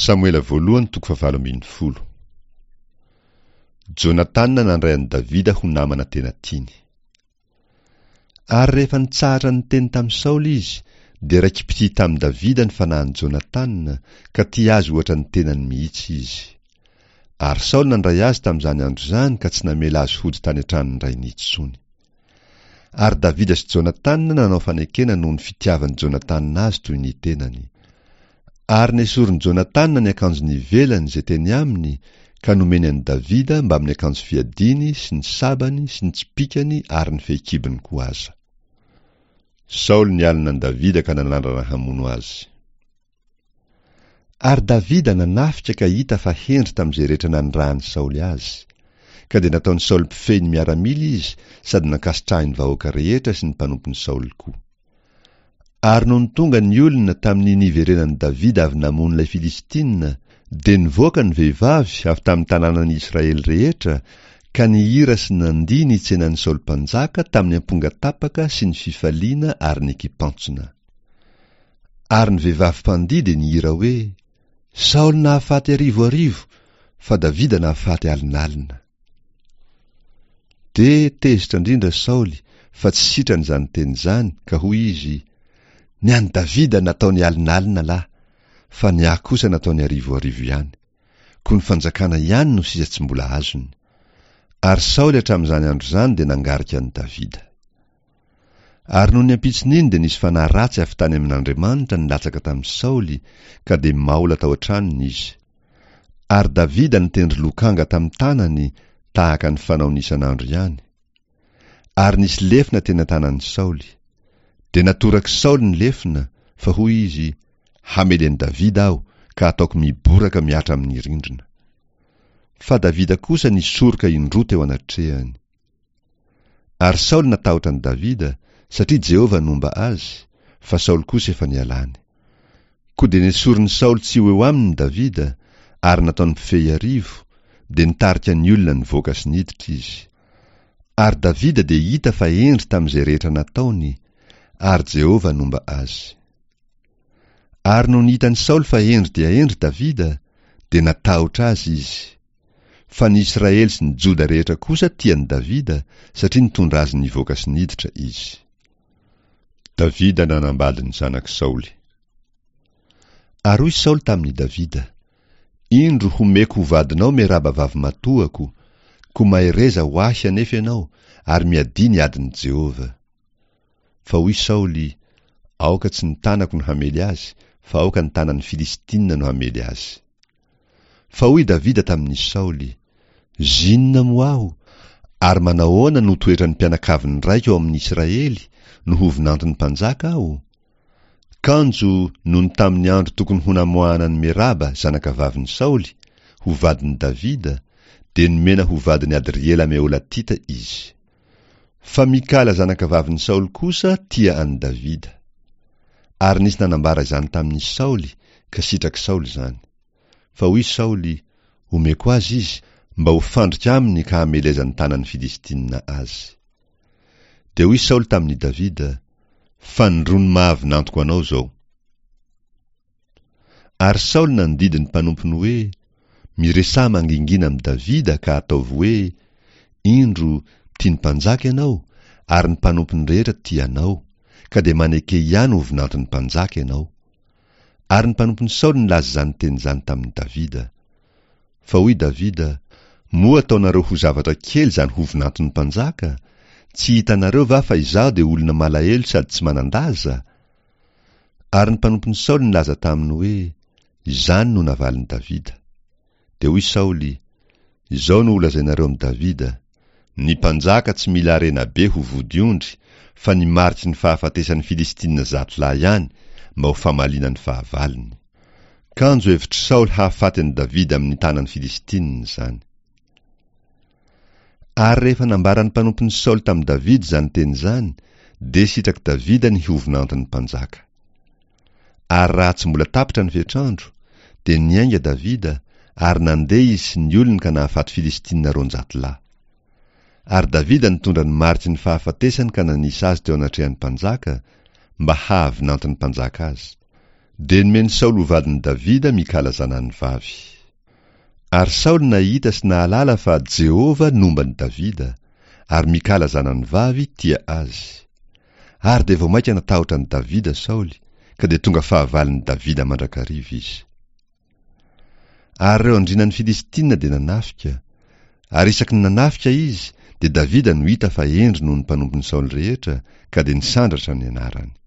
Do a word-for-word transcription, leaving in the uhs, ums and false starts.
Samoela voalohany toko fahavalo ambin'ny folo. Jonatana nandray an'i Davida ho namana tena tiany. Ary rehefa nitsahatra niteny tamin'i Saoly izy, dia raiki-pitia tamin'i Davida ny fanahin'i Jonatana, ka tia azy ohatra ny tenany mihitsy izy. Ary Saoly nandray azy tamin'izany andro izany ka tsy namela azy hody tany an-tranon-drainy intsony. Ary Davida sy Jonatana nanao fanekena noho ny fitiavan'i Jonatana azy toy ny tenany. Ary nesorin'i Jonatana ny akanjony ivelany izay teny aminy ka nomeny an'i Davida mbamin'ny akanjo fiadiany sy ny sabany sy ny tsipìkany ary ny fehikibony koa aza. Saoly nialona an'i Davida ka nanandrana hamono azy. Ary Davida nanafika ka hita fa hendry tamin'izay rehetra nanirahan'i Saoly azy. Ka dia nataon'i Saoly mpifehy ny miaramila izy sady nankasitrahin'ny vahoaka rehetra sy ny mpanompon'i Saoly koa. Ary nony tonga ny olona tamin'ny niverenan'i Davida avy namono ilay Filistina, dia nivoaka ny vehivavy avy tamin'ny tanànan'i Israely rehetra ka nihira sy nandihy ny tsenan'i Saoly mpanjaka tamin'ny amponga tapaka sy ny fifaliana ary ny kipantsona. Ary ny vehivavy mpandihy dia nihira hoe: Saoly nahafaty arivo arivo, fa Davida nahafaty alinalina. Dia tezitra indrindra Saoly fa tsy sitrany izany teny izany, ka hoy izy: Ny an'i Davida nataony alinalina lahy, fa ny ahy kosa nataony arivo arivo ihany. Koa ny fanjakana ihany no sisa tsy mbola azony. Ary Saoly hatramin'izany andro izany dia nangarika an'i Davida. Ary nony ampitson'iny dia nisy fanahy ratsy avy tany amin'Andriamanitra nilatsaka tamin'i Saoly, ka dia maola tao an-tranony izy. Ary Davida nitendry lokanga tamin'ny tanany tahaka ny fanaony isan'andro ihany. Ary nisy lefona teny an-tanan'i Saoly. Dia natorak'i Saoly ny lefona, fa hoy izy: Hamely an'i Davida aho, ka ataoko miboraka mihatra amin'ny rindrina. Fa Davida kosa nisoroka indroa teo anatrehany. Ary Saoly natahotra an'i Davida, satria Jehovah nomba azy, fa Saoly kosa efa nialany. Koa dia nesorin'i Saoly tsy ho eo aminy Davida, ary nataony mpifehy arivo, dia nitarika ny olona nivoaka sy niditra izy. Ary Davida dia hita fa hendry tamin'izay rehetra nataony, ary Jehovah nomba azy. Ary nony hitan'i Saoly fa hendry dia hendry Davida, dia natahotra azy izy. Fa ny Israely sy ny Joda rehetra kosa tia an'i Davida, satria nitondra azy nivoaka sy niditra izy. Davida nanambady ny zanak'i Saoly. Ary hoy Saoly tamin'i Davida: Indro homeko ho vadinao Meraba vavimatoako, koa mahereza ho ahy anefa ianao, ary miadia ny adin'i Jehovah. Fa hoy Saoly: Aoka tsy ny tanako no hamely azy, fa aoka ny tanan'ny Filistina no hamely azy. Fa hoy Davida tamin'i Saoly: Zinona moa aho, ary manahoana no toetran'ny mpianakavin'ny raiko ao amin'ny Israely no ho vinanton'ny mpanjaka aho? Kanjo nony tamin'ny andro tokony ho namoahana an'i Meraba zanakavavin'i Saoly ho vadin'i Davida, dia nomena ho vadin'i Adriela Meholatita izy. Fa Mikala zanakavavin'i Saoly kosa tia an'i Davida. Ary nisy nanambara izany tamin'i Saoly, ka sitrak'i Saoly izany. Fa hoy Saoly: Omeko azy izy, mba ho fandrika aminy ka hamelezan'ny tanan'ny Filistina azy. Dia hoy Saoly tamin'i Davida: Fanindroany mahavinantoko anao izao. Ary Saoly nandidy ny mpanompony hoe: Miresaha mangingina amin'i Davida ka ataovy hoe: Indro, tian'ny mpanjaka ianao, ary ny mpanompony rehetra tia anao, ka dia maneke ihany ho vinanton'ny mpanjaka ianao. Ary ny mpanompon'i Saoly nilaza izany teny izany tamin'i Davida. Fa hoy Davida: Moa ataonareo ho zavatra kely izany ho vinanton'ny mpanjaka? Tsy hitanareo va fa izaho dia olona malahelo sady tsy manan-daza? Ary ny mpanompon'i Saoly nilaza taminy hoe: Izany no navalin'i Davida. Dia hoy Saoly: Izao no holazainareo amin'i Davida: Ny mpanjaka tsy mila harena be ho vodiondry, fa ny mariky ny fahafatesan'ny Filistina zato lahy ihany, mba ho famaliana ny fahavalony. Kanjo hevitr'i Saoly hahafaty an'i Davida amin'ny tanan'ny Filistina izany. Ary rehefa nambaran'ny mpanompon'i Saoly tamin'i Davida izany teny izany, dia sitrak'i Davida ny ho vinanton'ny mpanjaka. Ary raha tsy mbola tapitra ny fetr'andro, dia niainga Davida, ary nandeha izy sy ny olony ka nahafaty Filistina roanjato lahy. Ary Davida nitondra ny mariky ny fahafatesany ka nanisa azy teo anatrehan'ny mpanjaka, mba hahavinanton'ny mpanjaka azy. Dia nomen'i Saoly ho vadin'i Davida Mikala zanany vavy. Ary Saoly nahita sy nahalala fa Jehovah nomba an'i Davida, ary Mikala zanany vavy tia azy. Ary dia vao mainka natahotra an'i Davida Saoly, ka dia tonga fahavalon'i Davida mandrakariva izy. Ary ireo andrianan'ny Filistina dia nanafika, ary isaky ny nanafika izy, dia Davida no hita fa hendry noho ny mpanompon'i Saoly rehetra, ka dia nisandratra ny anarany.